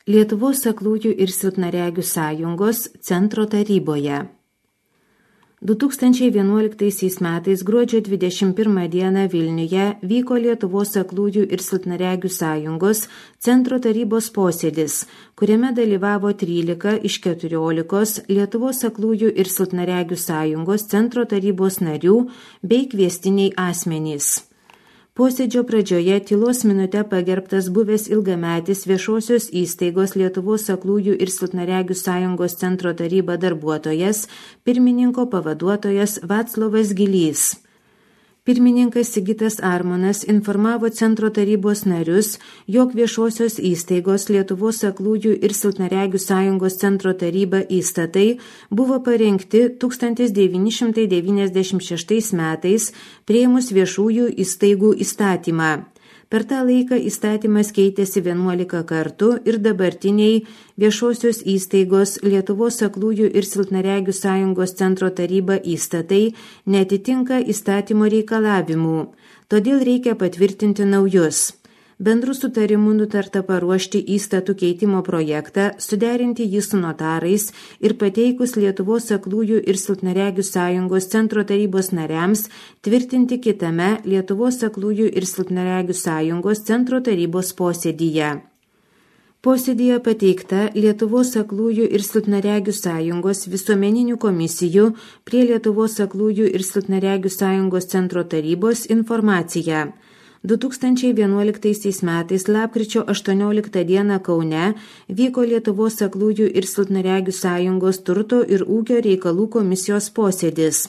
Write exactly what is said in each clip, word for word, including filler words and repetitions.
Lietuvos aklųjų ir silpnaregių sąjungos centro taryboje. du tūkstančiai vienuoliktaisiais metais gruodžio dvidešimt pirmą dieną Vilniuje vyko Lietuvos aklųjų ir silpnaregių sąjungos centro tarybos posėdis, kuriame dalyvavo trylika iš keturiolikos Lietuvos aklųjų ir silpnaregių sąjungos centro tarybos narių bei kviestiniai asmenys. Posėdžio pradžioje tylos minute pagerbtas buvęs ilgametis viešosios įstaigos Lietuvos aklųjų ir silpnaregių sąjungos centro taryba darbuotojas, pirmininko pavaduotojas Vaclovas Gilys. Pirmininkas Sigitas Armonas informavo centro tarybos narius, jog viešosios įstaigos Lietuvos aklųjų ir silpnaregių sąjungos centro taryba įstatai buvo parengti tūkstantis devyni šimtai devyniasdešimt šeštais metais priėmus viešųjų įstaigų įstatymą. Per tą laiką įstatymas keitėsi vienuolika kartų ir dabartiniai viešosios įstaigos Lietuvos aklųjų ir silpnaregių sąjungos centro taryba įstatai neatitinka įstatymo reikalavimų, todėl reikia patvirtinti naujus. Bendrų sutarimų nutarta paruošti įstatų keitimo projektą, suderinti jį su notarais ir pateikus Lietuvos aklųjų ir silpnaregių sąjungos centro tarybos nariams tvirtinti kitame Lietuvos aklųjų ir silpnaregių sąjungos centro tarybos posėdyje. Posėdyje pateikta Lietuvos aklųjų ir silpnaregių sąjungos visuomeninių komisijų prie Lietuvos aklųjų ir silpnaregių sąjungos centro tarybos informacija. du tūkstančiai vienuoliktaisiais metais lapkričio aštuonioliktą dieną Kaune vyko Lietuvos aklųjų ir silpnaregių sąjungos turto ir ūkio reikalų komisijos posėdis.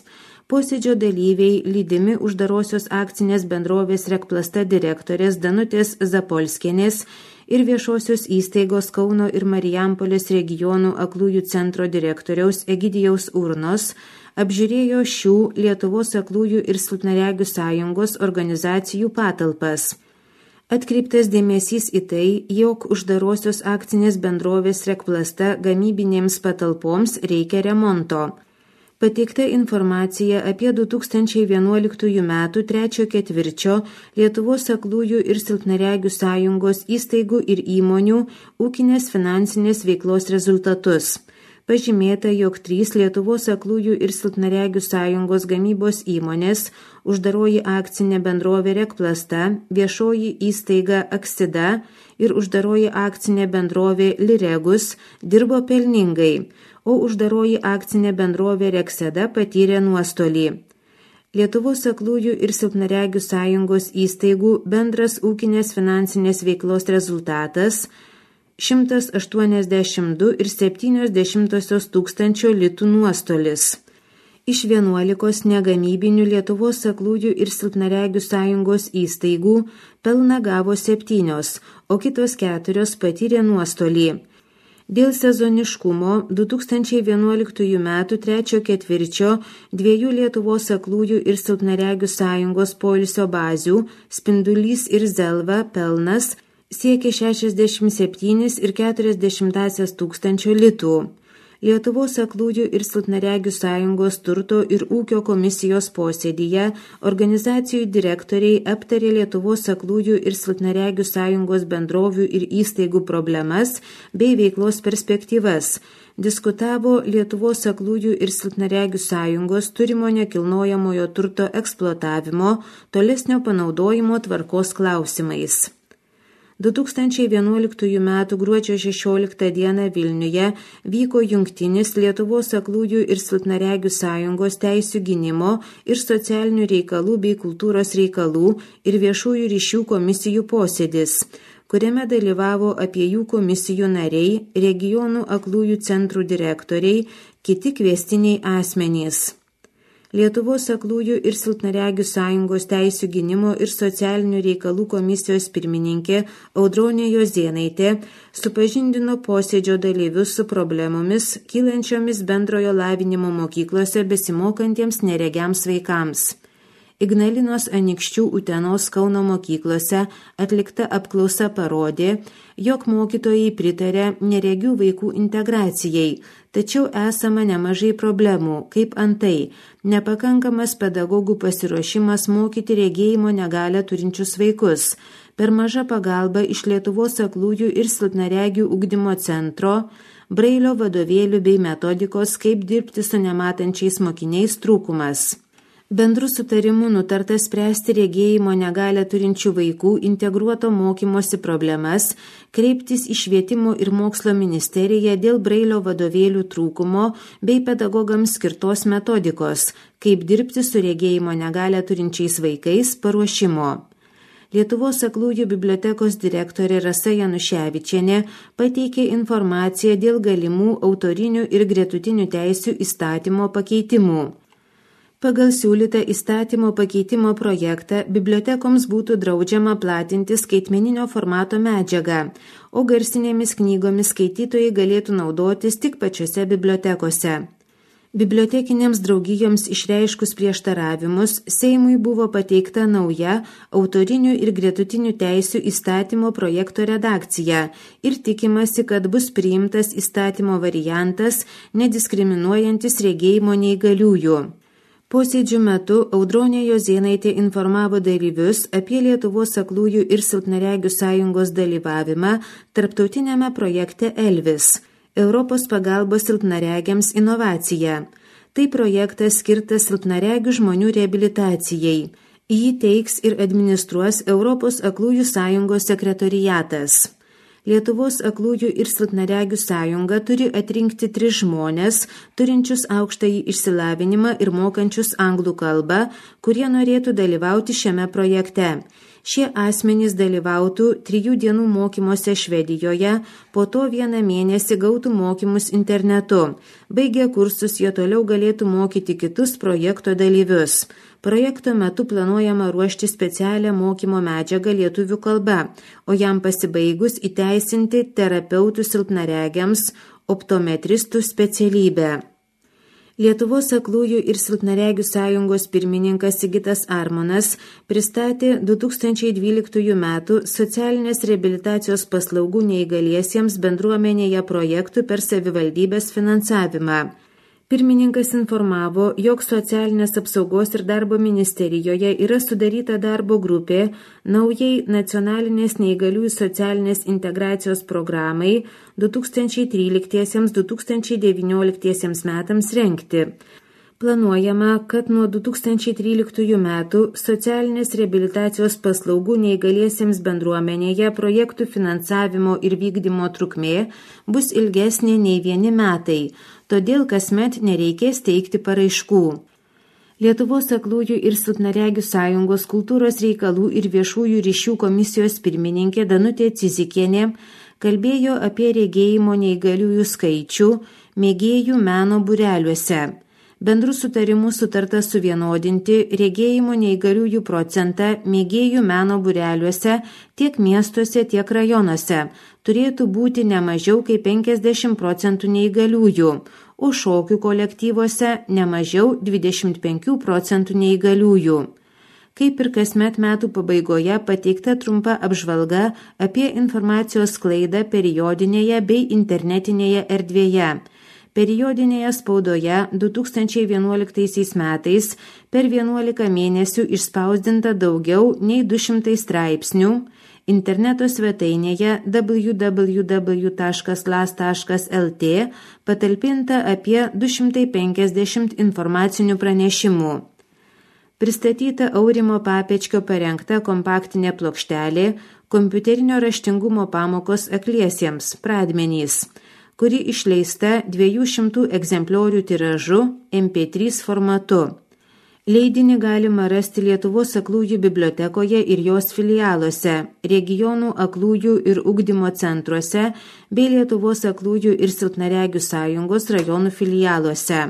Posėdžio dalyviai lydimi uždarosios akcinės bendrovės Rekplasta direktorės Danutės Zapolskienės ir viešosios įstaigos Kauno ir Marijampolės regionų aklųjų centro direktoriaus Egidijaus Urnos apžiūrėjo šių Lietuvos aklųjų ir silpnaregių sąjungos organizacijų patalpas. Atkreiptas dėmesys į tai, jog uždarosios akcinės bendrovės Rekplasta gamybinėms patalpoms reikia remonto. Pateikta informacija apie du tūkstančiai vienuoliktųjų metų trečio ketvirčio Lietuvos aklųjų ir silpnaregių sąjungos įstaigų ir įmonių ūkinės finansinės veiklos rezultatus. Pažymėta, jog trys Lietuvos aklųjų ir silpnaregių sąjungos gamybos įmonės, uždaroji akcinė bendrovė Rekplasta, viešoji įstaiga Aksida ir uždaroji akcinė bendrovė Liregus dirbo pelningai, o uždaroji akcinė bendrovė Rekseda patyrė nuostolį. Lietuvos aklųjų ir silpnaregių sąjungos įstaigų bendras ūkinės finansinės veiklos rezultatas šimtas aštuoniasdešimt du ir septynios dešimtosios tūkstančio litų nuostolis. Iš vienuolikos negamybinių Lietuvos aklųjų ir silpnaregių sąjungos įstaigų pelną gavo septynios, o kitos keturios patyrė nuostolį. Dėl sezoniškumo du tūkstančiai vienuoliktųjų metų trečio ketvirčio dviejų Lietuvos aklųjų ir silpnaregių sąjungos poilsio bazių Spindulys ir Zelva pelnas siekia šešiasdešimt septynis ir keturias dešimtąsias tūkstančio litų. Lietuvos aklųjų ir silpnaregių sąjungos turto ir ūkio komisijos posėdyje organizacijų direktoriai aptarė Lietuvos aklųjų ir silpnaregių sąjungos bendrovių ir įstaigų problemas bei veiklos perspektyvas. Diskutavo Lietuvos aklųjų ir silpnaregių sąjungos turimo nekilnojamojo turto eksploatavimo, tolesnio panaudojimo tvarkos klausimais. du tūkstančiai vienuoliktųjų metų gruodžio šešioliktą dieną Vilniuje vyko jungtinis Lietuvos aklųjų ir silpnaregių sąjungos teisių gynimo ir socialinių reikalų bei kultūros reikalų ir viešųjų ryšių komisijų posėdis, kuriame dalyvavo abiejų komisijų nariai, regionų aklųjų centrų direktoriai, kiti kviestiniai asmenys. Lietuvos aklųjų ir silpnaregių sąjungos teisių gynimo ir socialinių reikalų komisijos pirmininkė Audronė Jozėnaitė supažindino posėdžio dalyvius su problemomis kylančiomis bendrojo lavinimo mokyklose besimokantiems neregiams vaikams. Ignalinos Anykščių Utenos Kauno mokyklose atlikta apklausa parodė, jog mokytojai pritarė neregių vaikų integracijai, tačiau esama nemažai problemų, kaip antai nepakankamas pedagogų pasiruošimas mokyti regėjimo negalią turinčius vaikus, per maža pagalba iš Lietuvos aklųjų ir silpnaregių ugdymo centro, Brailio vadovėlių bei metodikos, kaip dirbti su nematančiais mokiniais trūkumas. Bendru sutarimu nutarta spręsti regėjimo negalią turinčių vaikų integruoto mokymosi problemas, kreiptis į Švietimo ir mokslo ministeriją dėl Brailio vadovėlių trūkumo bei pedagogams skirtos metodikos, kaip dirbti su regėjimo negalią turinčiais vaikais paruošimo. Lietuvos aklųjų bibliotekos direktorė Rasa Januševičienė pateikė informaciją dėl galimų autorinių ir gretutinių teisių įstatymo pakeitimų. Pagal siūlytą įstatymo pakeitimo projektą bibliotekoms būtų draudžiama platinti skaitmeninio formato medžiagą, o garsinėmis knygomis skaitytojai galėtų naudotis tik pačiose bibliotekose. Bibliotekinėms draugijoms išreiškus prieštaravimus, Seimui buvo pateikta nauja autorinių ir gretutinių teisių įstatymo projekto redakcija ir tikimasi, kad bus priimtas įstatymo variantas, nediskriminuojantis regėjimo neįgaliųjų. Posėdžių metu Audronė Jozėnaitė informavo dalyvius apie Lietuvos aklųjų ir silpnaregių sąjungos dalyvavimą tarptautinėme projekte Elvis – Europos pagalbos silpnaregiams inovacija. Tai projektas skirtas silpnaregių žmonių reabilitacijai. Jį teiks ir administruos Europos aklųjų sąjungos sekretoriatas. Lietuvos aklųjų ir silpnaregių sąjunga turi atrinkti tris žmonės, turinčius aukštąjį išsilavinimą ir mokančius anglų kalbą, kurie norėtų dalyvauti šiame projekte. Šie asmenys dalyvautų trijų dienų mokymuose Švedijoje, po to vieną mėnesį gautų mokymus internetu. Baigę kursus jie toliau galėtų mokyti kitus projekto dalyvius. Projekto metu planuojama ruošti specialią mokymo medžiagą lietuvių kalba, o jam pasibaigus įteisinti terapeutų silpnaregiams, optometristų specialybę. Lietuvos aklųjų ir silpnaregių sąjungos pirmininkas Sigitas Armonas pristatė du tūkstančiai dvyliktųjų metų socialinės reabilitacijos paslaugų neįgaliesiems bendruomenėje projektų per savivaldybės finansavimą. Pirmininkas informavo, jog socialinės apsaugos ir darbo ministerijoje yra sudaryta darbo grupė naujai nacionalinės neįgaliųjų socialinės integracijos programai du tūkstančiai tryliktiesiems - du tūkstančiai devynioliktiesiems metams rengti. Planuojama, kad nuo du tūkstančiai tryliktųjų metų socialinės reabilitacijos paslaugų neįgaliesiems bendruomenėje projektų finansavimo ir vykdymo trukmė bus ilgesnė nei vieni metai, todėl kasmet nereikės teikti paraiškų. Lietuvos aklųjų ir silpnaregių sąjungos kultūros reikalų ir viešųjų ryšių komisijos pirmininkė Danutė Cizikienė kalbėjo apie regėjimo neįgaliųjų skaičių mėgėjų meno būreliuose. Bendru sutarimu sutarta suvienodinti regėjimo neįgaliųjų procentą mėgėjų meno būreliuose tiek miestuose, tiek rajonuose. Turėtų būti ne mažiau kaip penkiasdešimt procentų neįgaliųjų, o šokių kolektyvuose ne mažiau dvidešimt penkių procentų neįgaliųjų. Kaip ir kasmet metų pabaigoje pateikta trumpa apžvalga apie informacijos sklaidą periodinėje bei internetinėje erdvėje. Periodinėje spaudoje du tūkstančiai vienuoliktaisiais metais per vienuolika mėnesių išspausdinta daugiau nei du šimtai straipsnių, interneto svetainėje w w w taškas las taškas l t patalpinta apie du šimtai penkiasdešimt informacinių pranešimų. Pristatyta Aurimo Papečkio parengta kompaktinė plokštelė kompiuterinio raštingumo pamokos akliesiems pradmenys, kuri išleista dviejų šimtų egzempliorių tiražu em pė trys formatu. Leidinį galima rasti Lietuvos aklųjų bibliotekoje ir jos filialuose, regionų aklųjų ir ugdymo centruose bei Lietuvos aklųjų ir silpnaregių sąjungos rajonų filialuose.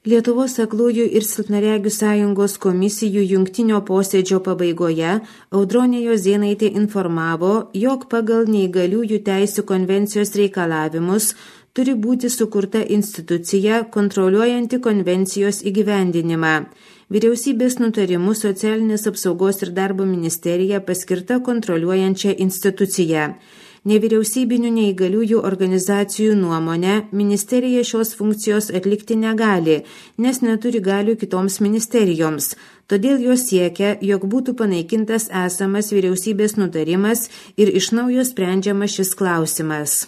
Lietuvos aklųjų ir silpnaregių sąjungos komisijų jungtinio posėdžio pabaigoje Audronė Jozėnaitė informavo, jog pagal neįgaliųjų teisių konvencijos reikalavimus turi būti sukurta institucija kontroliuojanti konvencijos įgyvendinimą. Vyriausybės nutarimu Socialinės apsaugos ir darbo ministerija paskirta kontroliuojančia institucija. Nevyriausybinių neįgaliųjų organizacijų nuomonė, ministerija šios funkcijos atlikti negali, nes neturi galių kitoms ministerijoms. Todėl jos siekia, jog būtų panaikintas esamas vyriausybės nutarimas ir iš naujo sprendžiamas šis klausimas.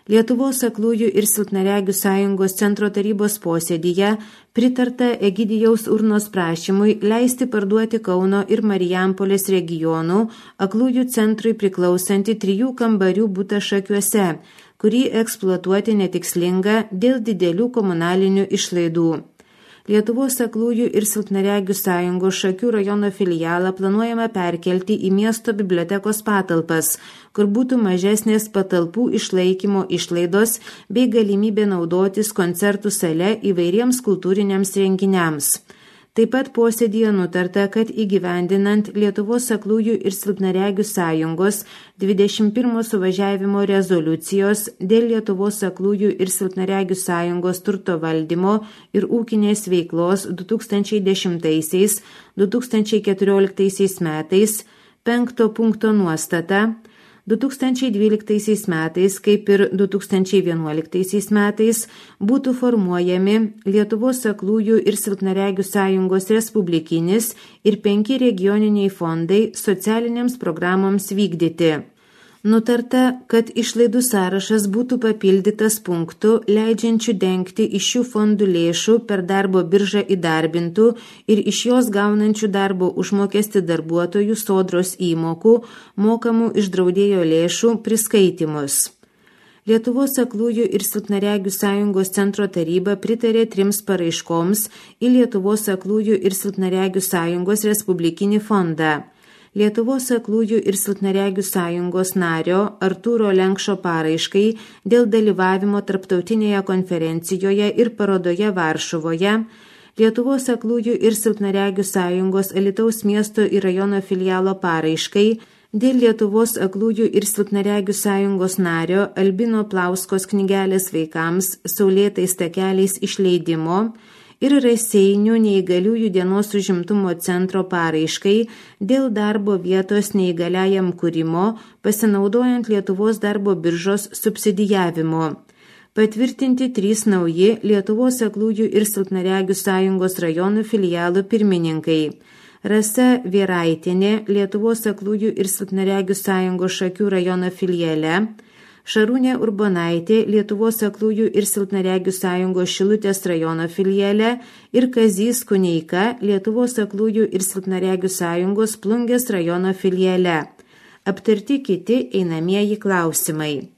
Lietuvos aklųjų ir silpnaregių sąjungos centro tarybos posėdyje pritarta Egidijaus Urnos prašymui leisti parduoti Kauno ir Marijampolės regionų aklųjų centrui priklausantį trijų kambarių butą Šakiuose, kurį eksploatuoti netikslinga dėl didelių komunalinių išlaidų. Lietuvos aklųjų ir silpnaregių sąjungos Šakių rajono filialą planuojama perkelti į miesto bibliotekos patalpas, kur būtų mažesnės patalpų išlaikymo išlaidos bei galimybė naudotis koncertų sale įvairiems kultūriniams renginiams. Taip pat posėdyje nutarta, kad įgyvendinant Lietuvos aklųjų ir silpnaregių sąjungos dvidešimt pirmo suvažiavimo rezoliucijos dėl Lietuvos aklųjų ir silpnaregių sąjungos turto valdymo ir ūkinės veiklos du tūkstančiai dešimtaisiais - du tūkstančiai keturioliktaisiais metais penkto punkto nuostata du tūkstančiai dvyliktaisiais metais, kaip ir du tūkstančiai vienuoliktaisiais metais, būtų formuojami Lietuvos aklųjų ir silpnaregių sąjungos respublikinis ir penki regioniniai fondai socialinėms programoms vykdyti. Nutarta, kad išlaidų sąrašas būtų papildytas punktu, leidžiančių dengti iš šių fondų lėšų per darbo biržą įdarbintų ir iš jos gaunančių darbo užmokestį darbuotojų sodros įmokų, mokamų iš draudėjo lėšų priskaitimus. Lietuvos aklųjų ir silpnaregių sąjungos centro taryba pritarė trims paraiškoms į Lietuvos aklųjų ir silpnaregių sąjungos respublikinį fondą. Lietuvos aklųjų ir silpnaregių sąjungos nario Artūro Lenkšo paraiškai dėl dalyvavimo tarptautinėje konferencijoje ir parodoje Varšuvoje, Lietuvos aklųjų ir silpnaregių sąjungos Alytaus miesto ir rajono filialo paraiškai dėl Lietuvos aklųjų ir silpnaregių sąjungos nario Albino Plauskos knygelės vaikams Saulėtais takeliais išleidimo ir Raseinių neįgaliųjų dienos užimtumo centro paraiškai dėl darbo vietos neįgaliajam kūrimo, pasinaudojant Lietuvos darbo biržos subsidijavimo. Patvirtinti trys nauji Lietuvos aklųjų ir silpnaregių sąjungos rajonų filialų pirmininkai. Rasa Vieraitienė, Lietuvos aklųjų ir silpnaregių sąjungos Šakių rajono filiale, Šarūnė Urbonaitė, Lietuvos aklųjų ir silpnaregių sąjungos Šilutės rajono filiale ir Kazys Kuneika, Lietuvos aklųjų ir silpnaregių sąjungos Plungės rajono filiale. Aptarti kiti einamieji klausimai.